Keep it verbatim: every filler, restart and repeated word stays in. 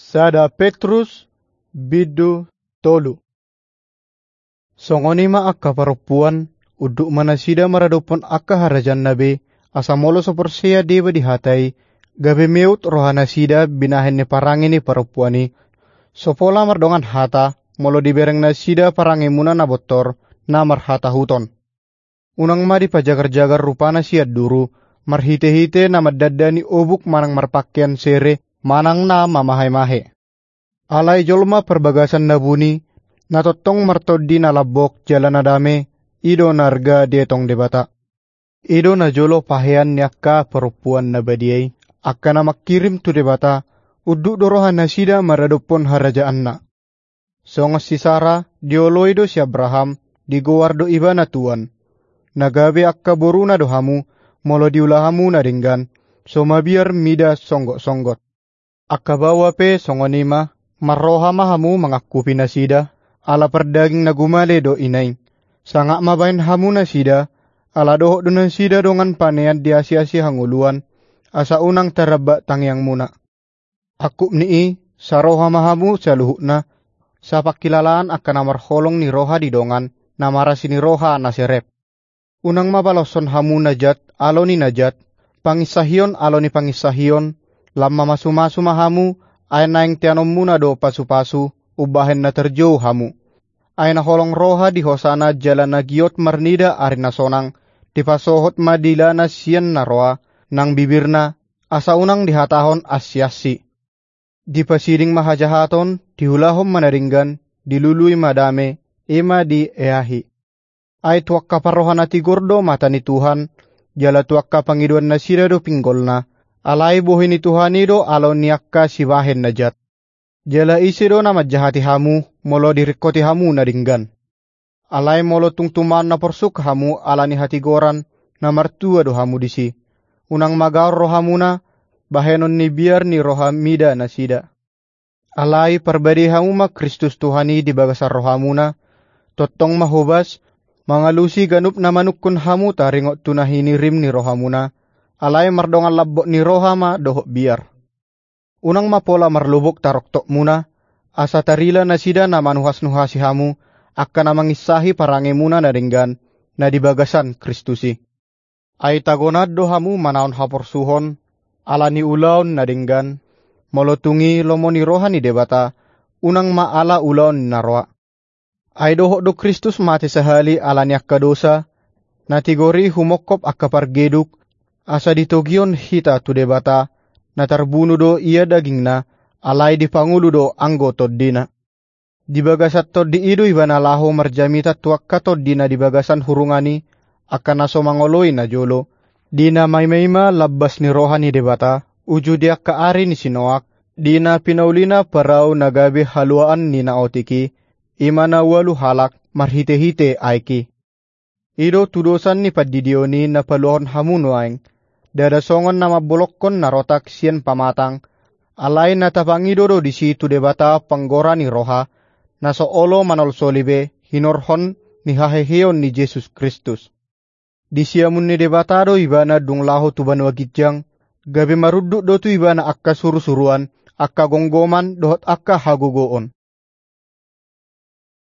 Sada Petrus, bindu tolu. Songon i ma angka parompuan, unduk ma nasida maradophon angka harajaanna be, asa molo so porsea deba di hata i, gabe meut rohanasida binahen ni parange ni parompuan i. So pola mardongan hata, molo dibereng nasida parangemuna na bontor, na marhatahuton. Unang ma dipajagar-jagar rupana sian duru, marhite-hite na mandandani obuk manang marpakean sere, manang na mamahe-mahe. Alai jolma parbagasan na buni, na tongtong martondi na lambok jala na dame, i do na arga dietong Debata. I do najolo pahean ni angka parompuan na badia i, angka na mangkirim tu Debata, unduk do rohanasida maradophon harajaanna. Songon si Sara, dioloi do si Abraham, digoar do ibana tuan. Na gabe angka boruna do hamu, molo diula hamu na denggan, so mabiar mida songgot-songgot. Angka baoa pe songon i ma, marroha ma hamu mangangkupi nasida, ala pardaging na gumale do ina i. Sangap ma baen hamu nasida, ala dohot do nasida dongan panean di asi-asi hangoluan, asa unang taramba tangiangmuna. Angkup ni i, saroha ma hamu saluhutna, sapangkilalaan angka na marholong ni roha di dongan, na marasi ni roha na serep. Unang ma baloshon hamu na jat alo ni na jat, panginsahion alo ni panginsahion, lam mamasu-masu ma hamu, ai naeng teanonmuna do pasu-pasu, umbahen na tarjou hamu. Ai na holong roha di hosana jala na giot marnida ari na sonang, dipasohot ma dilana sian na roa, nang bibirna, asa unang dihatahon ansi-ansi. Dipasiding ma hajahaton, diulahon ma na denggan, dilului ma dame, i ma dieahi. Ai tu angka parroha na tigor do mata ni Tuhan, jala tu angka pangidoan nasida do pinggolna, alai bohi ni Tuhan i do alo ni angka sibahen na jat. Jala ise do na manjahati hamu, molo diringkoti hamu na denggan. Alai molo tung tumaon na porsuk hamu ala ni hatigoran, na martua do hamu disi. Unang magaor rohamuna, bahenon ni biar ni roha mida nasida. Alai parbadei hamu ma Kristus Tuhan i di bagasan rohamuna, tongtong ma hobas, mangalusi ganup na manungkun hamu taringot tu na hinirim ni rohamuna, alai mardongan lambok ni roha ma dohot biar. Unang ma pola marlobok taroktokmuna, asa tarila nasida na manuhas-nuhasi hamu, angka na manginsahi parangemuna na denggan, na di bagasan Kristus i. Ai tagonan do hamu manaon haporsuhon, ala ni ulaon na denggan, molo tung i lomo ni roha ni Debata, unang ma ala ulaon na roa. Ai dohot do Kristus mate sahali ala ni angka dosa, na tigor i humongkop angka pargeduk, asa ditogihon hita tu Debata, na tarbunu do ia dagingna, alai dipangolu do anggo tondina. Di bagasan tondi i do ibana laho marjamita tu angka tondi na di bagasan hurungan i, angka na so mangoloi najolo, di na maima-ima lambas ni roha ni Debata, uju di angka ari ni si Noak, di na pinaulina parau na gabe haluaan ni na otik i, i ma na ualu halak marhite-hite aek i. I do tudosan ni pandidion i na paluahon hamu nuaeng, ndada songon na mambolongkon na rotak sian pamatang, alai na tapangido do disi tu Debata panggora ni roha, na so olo manolsoli be hinorhon ni haheheon ni Jesus Kristus. Di siamun ni Debata do ibana dung laho tu banua ginjang, gabe marunduk do tu ibana angka suru-suruan, angka gomgoman dohot angka hagogoon.